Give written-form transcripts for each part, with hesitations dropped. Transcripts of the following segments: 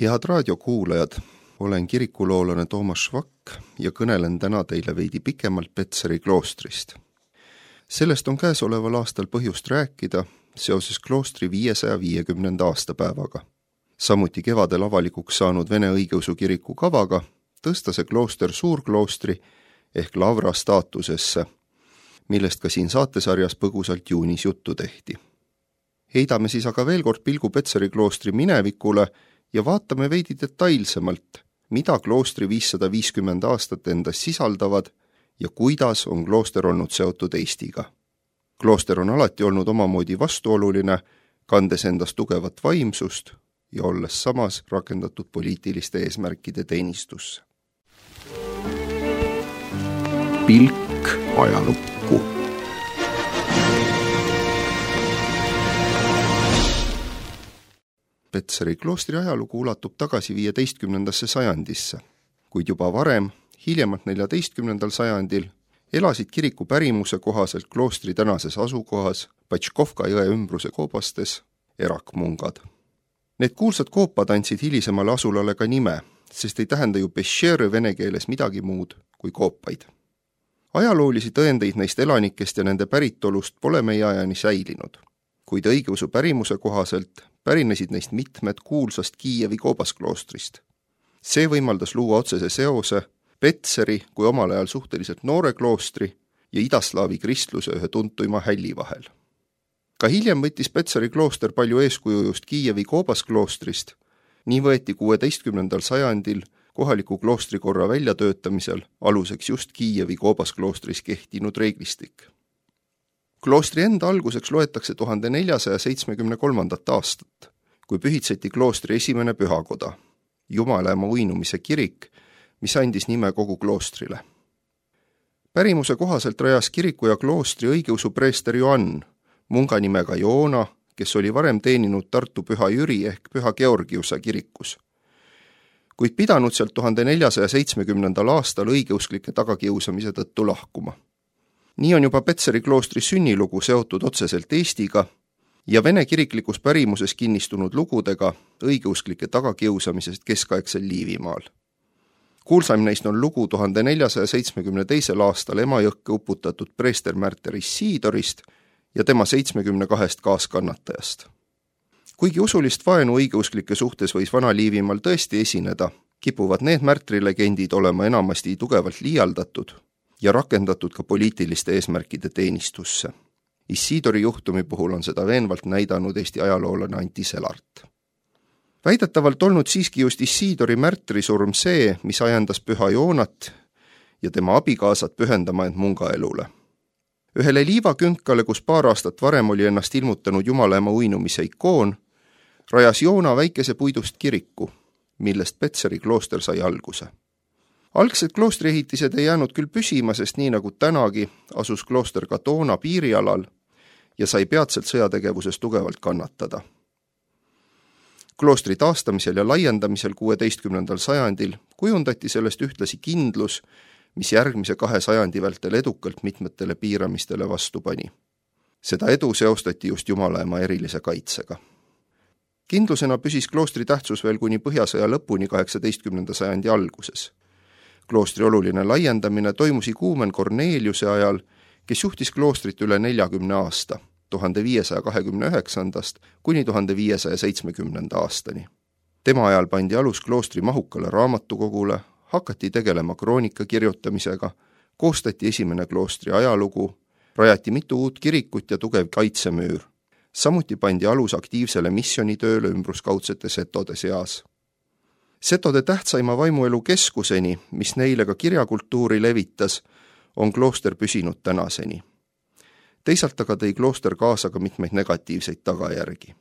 Head raadiokuulajad, olen kirikuloolane Toomas Švakk ja kõnelen täna teile veidi pikemalt Petseri kloostrist. Sellest on käesoleval aastal põhjust rääkida seoses kloostri 550. aastapäevaga. Samuti kevadel avalikuks saanud Vene õigeusu kiriku kavaga tõsta see klooster suurkloostri ehk lavra staatusesse, millest ka siin saatesarjas põgusalt juunis juttu tehti. Heidame siis aga veel kord pilgu Petseri kloostri minevikule ja vaatame veidi detailsemalt, mida kloostri 550 aastat endas sisaldavad ja kuidas on klooster olnud seotud Eestiga. Klooster on alati olnud omamoodi vastuoluline, kandes endas tugevat vaimsust ja olles samas rakendatud poliitiliste eesmärkide teenistusse. Pilk ajalukku. Petseri kloostri ajalugu ulatub tagasi 15. sajandisse, kuid juba varem, hiljemalt 14. sajandil, elasid kiriku pärimuse kohaselt kloostri tänases asukohas Patškovka jõe ümbruse koobastes erakmungad. Need kuulsad koopad andsid hilisemale asulale ka nime, sest ei tähenda ju peššerõ vene keeles midagi muud kui koopaid. Ajaloolisi tõendeid neist elanikest ja nende päritolust pole meie ajani säilinud, kuid õigeusu pärimuse kohaselt pärinesid neist mitmed kuulsast Kiievi koobaskloostrist. See võimaldas luua otsese seose Petseri kui omal ajal suhteliselt noore kloostri ja idaslaavi kristluse ühe tuntuima hälli vahel. Ka hiljem võttis Petseri klooster palju eeskuju just Kiievi koobasklostrist, nii võeti 16. sajandil kohaliku kloostrikorra väljatöötamisel aluseks just Kiievi koobasklostris kehtinud reeglistik. Kloostri enda alguseks loetakse 1473. aastat, kui pühitseti kloostri esimene pühakoda, Jumalaema uinumise kirik, mis andis nime kogu kloostrile. Pärimuse kohaselt rajas kiriku ja kloostri õigeusu preester Joann, munga nimega Joona, kes oli varem teeninud Tartu Püha Jüri ehk Püha Georgiuse kirikus, kuid pidanud sealt 1470. aastal õigeusklike tagakiusamise tõttu lahkuma. Nii on juba Petseri kloostri sünnilugu seotud otseselt Eestiga ja vene kiriklikus pärimuses kinnistunud lugudega õigeusklike tagakiusamisest keskaegsel Liivimaal. Kuulsaim neist on lugu 1472. aastal Emajõkke uputatud preester Märter Issidorist ja tema 72 kaaskannatajast. Kuigi usulist vaenu õigeusklike suhtes võis vana Liivimaal tõesti esineda, kipuvad need märtrilegendid olema enamasti tugevalt liialdatud ja rakendatud ka poliitiliste eesmärkide teenistusse. Issidori juhtumi puhul on seda veenvalt näidanud Eesti ajaloolane Anti Selart. Väidetavalt olnud siiski just Issidori märtrisurm see, mis ajendas Püha Joonat ja tema abikaasat pühendama end mungaelule. Ühele liivakünkale, kus paar aastat varem oli ennast ilmutanud Jumalaema uinumise ikoon, rajas Joona väikese puidust kiriku, millest Petseri klooster sai alguse. Algsed kloostriehitised ei jäänud küll püsima, sest nii nagu tänagi asus klooster ka toona piirialal ja sai peatselt sõjategevuses tugevalt kannatada. Kloostri taastamisel ja laiendamisel 16. sajandil kujundati sellest ühtlasi kindlus, mis järgmise 2 sajandi vältel edukalt mitmetele piiramistele vastu pani. Seda edu seostati just Jumalaema erilise kaitsega. Kindlusena püsis kloostri tähtsus veel kuni Põhjasõja lõpuni 18. sajandi alguses. Kloostri oluline laiendamine toimus iguumen Korneliuse ajal, kes juhtis kloostrit üle 40 aasta, 1529. kuni 1570. aastani. Tema ajal pandi alus kloostri mahukale raamatukogule, hakati tegelema kroonika kirjutamisega, koostati esimene kloostri ajalugu, rajati mitu uut kirikut ja tugev kaitsemüür. Samuti pandi alus aktiivsele missionitööle ümbruskaudsete setode seas. Setode tähtsaima vaimuelu keskuseni, mis neile ka kirjakultuuri levitas, on klooster püsinud tänaseni. Teisalt aga tõi klooster kaasa ka mitmeid negatiivseid tagajärgi.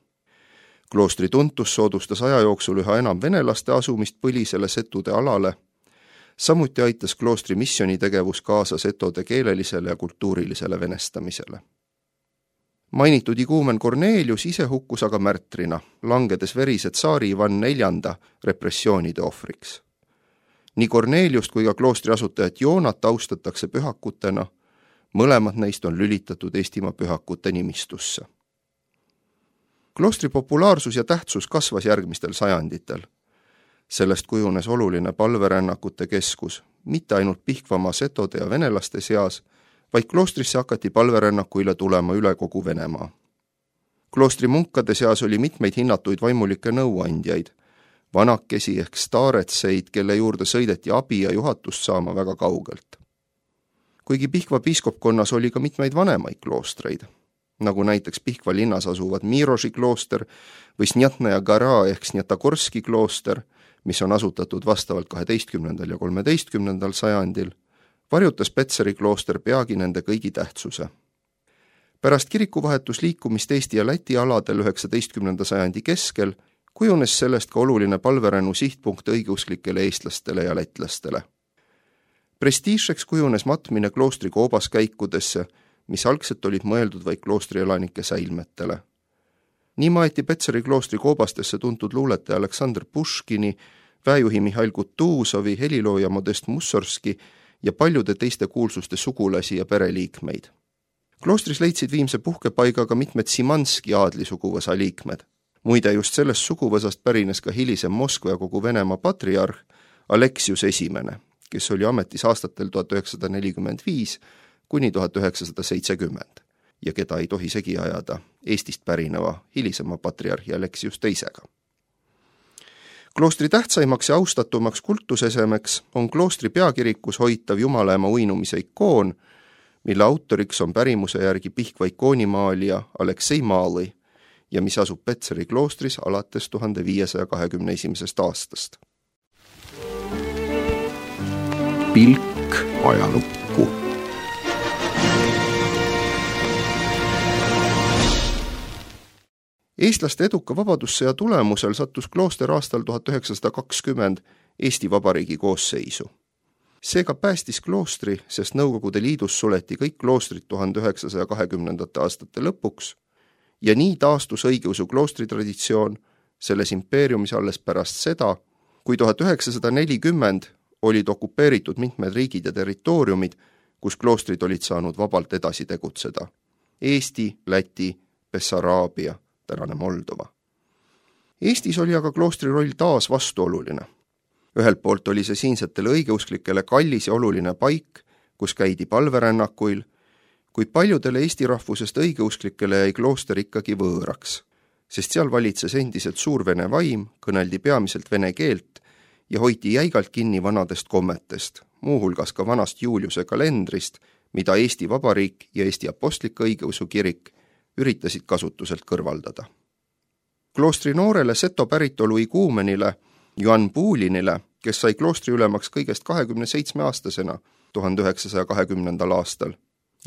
Kloostri tuntus soodustas aja jooksul üha enam venelaste asumist põlisele setude alale, samuti aitas kloostri missionitegevus kaasa setode keelelisele ja kultuurilisele venestamisele. Mainitud iguumen Kornelius ise hukkus aga märtrina, langedes verise tsaari Ivan IV repressioonide ohvriks. Nii Korneliust kui ka kloostri asutajat Joonat austatakse pühakutena, mõlemad neist on lülitatud Eestimaa pühakute nimistusse. Kloostri populaarsus ja tähtsus kasvas järgmistel sajanditel. Sellest kujunes oluline palverännakute keskus, mitte ainult Pihkvamaa setode ja venelaste seas, vaid kloostrisse hakati palverännakuile tulema üle kogu Venemaa. Kloostri munkade seas oli mitmeid hinnatuid vaimulikke nõuandjaid, vanakesi ehk staaretseid, kelle juurde sõideti abi ja juhatust saama väga kaugelt. Kuigi Pihkva piiskopkonnas oli ka mitmeid vanemaid kloostreid, nagu näiteks Pihkva linnas asuvad Miroži klooster või Snjatnaja Gara ehk Snjatagorski klooster, mis on asutatud vastavalt 12. ja 13. sajandil, varjutas Petseri klooster peagi nende kõigi tähtsuse. Pärast kirikuvahetusliikumist Eesti ja Läti aladel 19. sajandi keskel kujunes sellest ka oluline palverännu sihtpunkt õigeusklikele eestlastele ja lätlastele. Prestiižseks kujunes matmine kloostri koobaskäikudesse, mis algselt olid mõeldud vaid kloostrielanike säilmetele. Nii maeti Petseri kloostri koobastesse tuntud luuletaja Aleksandr Puškini, väejuhi Mihhail Kutuusovi, helilooja Modest Mussorski ja paljude teiste kuulsuste sugulasi ja pereliikmeid. Kloostris leidsid viimse puhkepaiga ka mitmed Simanski aadlisuguvõsa liikmed. Muide, just sellest suguvõsast pärines ka hilisem Moskva ja kogu Venemaa patriarh Aleksius I, kes oli ametis aastatel 1945 kuni 1970 ja keda ei tohi segi ajada Eestist pärineva hilisema patriarhi Aleksius II. Kloostri tähtsaimaks ja austatumaks kultusesemeks on kloostri peakirikus hoitav Jumalaema uinumise ikoon, mille autoriks on pärimuse järgi Pihkva ikoonimaalija Aleksei Malõi ja mis asub Petseri kloostris alates 1521. aastast. Pilk ajalukku. Eestlaste eduka vabadussõja tulemusel sattus klooster aastal 1920 Eesti Vabariigi koosseisu. Seega päästis kloostri, sest Nõukogude Liidus suleti kõik kloostrid 1920. aastate lõpuks ja nii taastus õigeusu kloostritraditsioon selles impeeriumis alles pärast seda, kui 1940 olid okupeeritud mitmed riigid ja territooriumid, kus kloostrid olid saanud vabalt edasi tegutseda. Eesti, Läti, Bessaraabia, tänane Moldova. Eestis oli aga kloostri roll taas vastuoluline. Ühelt poolt oli see siinsetele õigeusklikele kallis ja oluline paik, kus käidi palverännakuil, kuid paljudele Eesti rahvusest õigeusklikele jäi klooster ikkagi võõraks, sest seal valitses endiselt suur vene vaim, kõneldi peamiselt vene keelt ja hoiti jäigalt kinni vanadest kommetest, muuhulgas ka vanast Juliuse kalendrist, mida Eesti Vabariik ja Eesti Apostlik-Õigeusu kirik üritasid kasutuselt kõrvaldada. Kloostri noorele seto päritolu iguumenile Johann Puulinile, kes sai kloostri ülemaks kõigest 27-aastasena 1920. aastal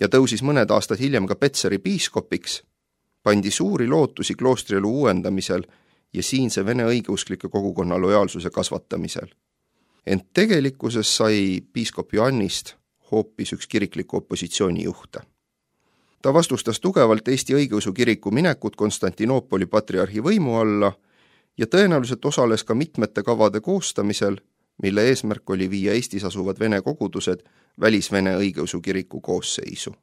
ja tõusis mõned aastad hiljem ka Petseri piiskopiks, pandi suuri lootusi kloostrielu uuendamisel ja siinse vene õigeusklike kogukonna lojaalsuse kasvatamisel. Ent tegelikkuses sai piiskop Johannist hoopis üks kirikliku opositsiooni juhte. Ta vastustas tugevalt Eesti õigeusu kiriku minekut Konstantinoopoli patriarhi võimu alla ja tõenäoliselt osales ka mitmete kavade koostamisel, mille eesmärk oli viia Eestis asuvad vene kogudused välisvene õigeusu kiriku koosseisu.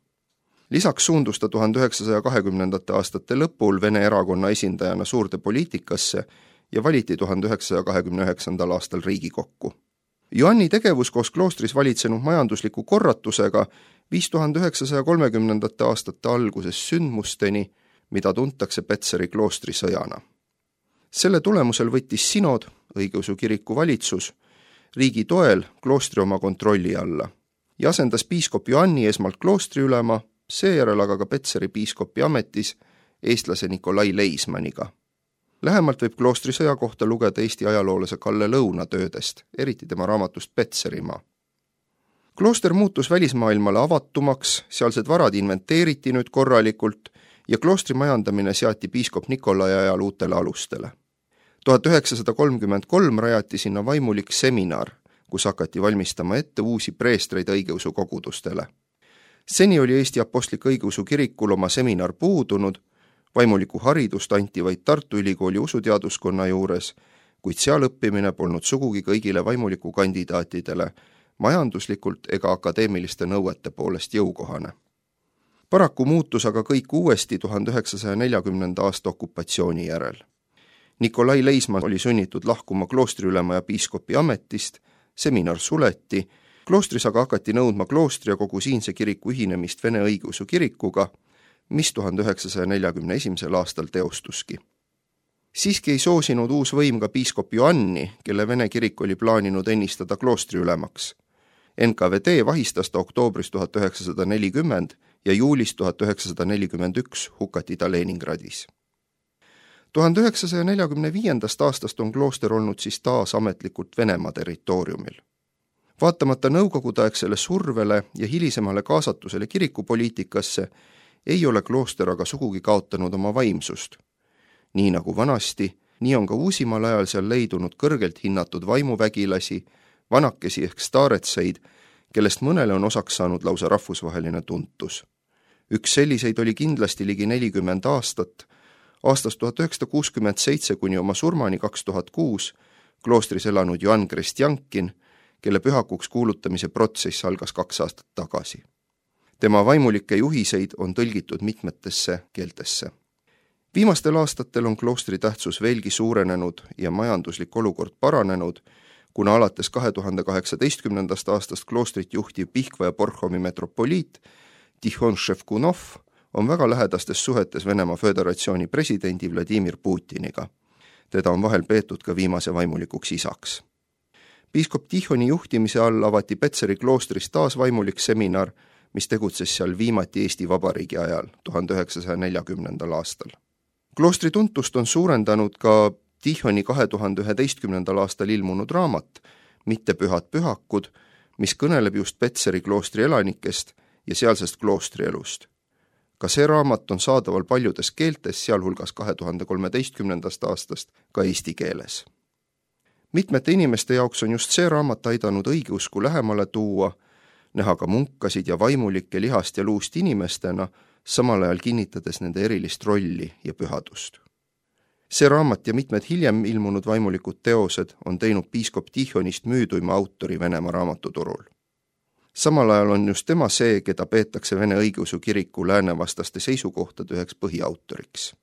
Lisaks suundus ta 1920. aastate lõpul Vene erakonna esindajana suurde poliitikasse ja valiti 1929. aastal Riigikokku. Johanni tegevus koos kloostris valitsenud majandusliku korratusega viis 1930. aastate alguses sündmusteni, mida tuntakse Petseri kloostri sõjana. Selle tulemusel võttis sinod, õigeusu kiriku valitsus, riigi toel kloostri oma kontrolli alla ja asendas piiskop Johanni esmalt kloostri ülema, seejärel aga ka Petseri piiskopi ametis eestlase Nikolai Leismaniga. Lähemalt võib kloostri sõja kohta lugeda Eesti ajaloolase Kalle Lõuna töödest, eriti tema raamatust Petserimaa. Klooster muutus välismaailmale avatumaks, sealsed varad inventeeriti nüüd korralikult ja kloostri majandamine seati piiskop Nikolai ajal uutele alustele. 1933 rajati sinna vaimulik seminar, kus hakati valmistama ette uusi preestreid õigeusu kogudustele. Seni oli Eesti Apostlik-Õigeusu kirikul oma seminar puudunud, vaimuliku haridust anti vaid Tartu Ülikooli usuteaduskonna juures, kuid seal õppimine polnud sugugi kõigile vaimuliku kandidaatidele majanduslikult ega akadeemiliste nõuete poolest jõukohane. Paraku muutus aga kõik uuesti 1940. aasta okupatsiooni järel. Nikolai Leismann oli sunnitud lahkuma kloostriülema ja piiskopi ametist, seminar suleti, kloostris aga hakati nõudma kloostri ja kogu siinse kiriku ühinemist Vene õigeusu kirikuga, mis 1941. aastal teostuski. Siiski ei soosinud uus võim ka piiskop Joanni, kelle Vene kirik oli plaaninud ennistada kloostriülemaks. NKVD vahistas ta oktoobris 1940 ja juulis 1941 hukati ta Leningradis. 1945. aastast on klooster olnud siis taas ametlikult Venemaa territooriumil. Vaatamata nõukogudeaegsele survele ja hilisemale kaasatusele kirikupoliitikasse ei ole klooster aga sugugi kaotanud oma vaimsust. Nii nagu vanasti, nii on ka uusimal ajal seal leidunud kõrgelt hinnatud vaimuvägilasi, vanakesi ehk staaretseid, kellest mõnele on osaks saanud lausa rahvusvaheline tuntus. Üks selliseid oli kindlasti ligi 40 aastat, aastast 1967 kuni oma surmani 2006 kloostris elanud Joann Krestjankin, kelle pühakuks kuulutamise protsess algas 2 aastat tagasi. Tema vaimulikke juhiseid on tõlgitud mitmetesse keeltesse. Viimastel aastatel on kloostri tähtsus veelgi suurenenud ja majanduslik olukord paranenud, kuna alates 2018. aastast kloostrit juhtiv Pihkva ja Borhomi metropoliit Tihon Ševkunov on väga lähedastes suhetes Venemaa Föderatsiooni presidendi Vladimir Putiniga. Teda on vahel peetud ka viimase vaimulikuks isaks. Piiskop Tihoni juhtimise all avati Petseri kloostris taas vaimulik seminar, mis tegutses seal viimati Eesti Vabariigi ajal 1940. aastal. Kloostri tuntust on suurendanud ka Tihoni 2011. aastal ilmunud raamat Mitte pühad pühakud, mis kõneleb just Petseri kloostri elanikest ja sealsest kloostrielust. Ka see raamat on saadaval paljudes keeltes, sealhulgas 2013. aastast ka eesti keeles. Mitmete inimeste jaoks on just see raamat aidanud õigeusku lähemale tuua, näha ka munkasid ja vaimulikke lihast ja luust inimestena, samal ajal kinnitades nende erilist rolli ja pühadust. See raamat ja mitmed hiljem ilmunud vaimulikud teosed on teinud piiskop Tihonist müüduima autori Venemaa raamatuturul. Samal ajal on just tema see, keda peetakse Vene õigeusu kiriku läänevastaste seisukohtade üheks põhiautoriks.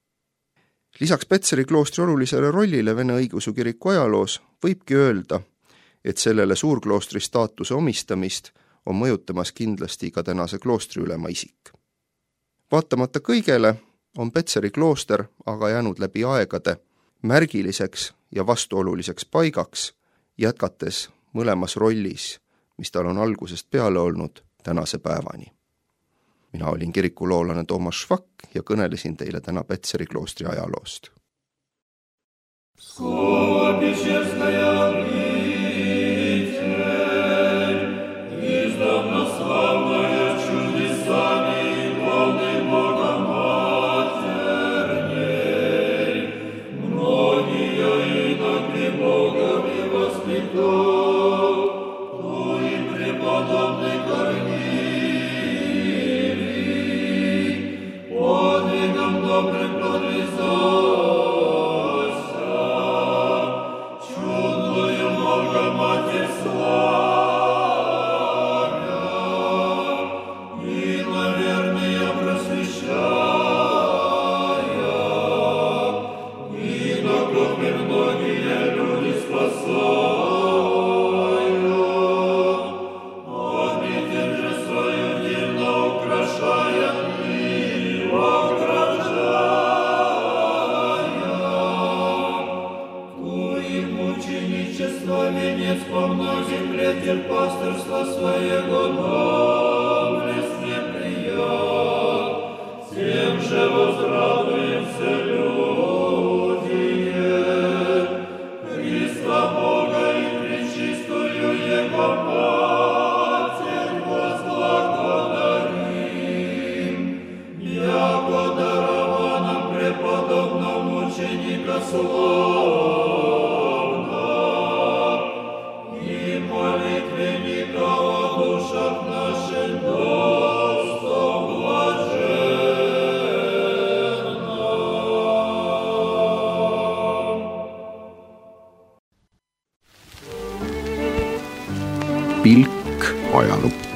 Lisaks Petseri kloostri olulisele rollile Vene õigeusu kiriku ajaloos võibki öelda, et sellele suurkloostri staatuse omistamist on mõjutamas kindlasti ka tänase kloostriülema isik. Vaatamata kõigele on Petseri klooster aga jäänud läbi aegade märgiliseks ja vastuoluliseks paigaks, jätkates mõlemas rollis, mis tal on algusest peale olnud tänase päevani. Mina olin kirikuloolane Toomas Švak ja kõnelesin teile täna Petseri kloostri ajaloost. Пастырства своего доблесть не прият, тем же возрадуемся люди, Христа Бога и пречистую Его Матерь возблагодарим, яко дарова нам преподобного мученика слова, Pilk ajalukku.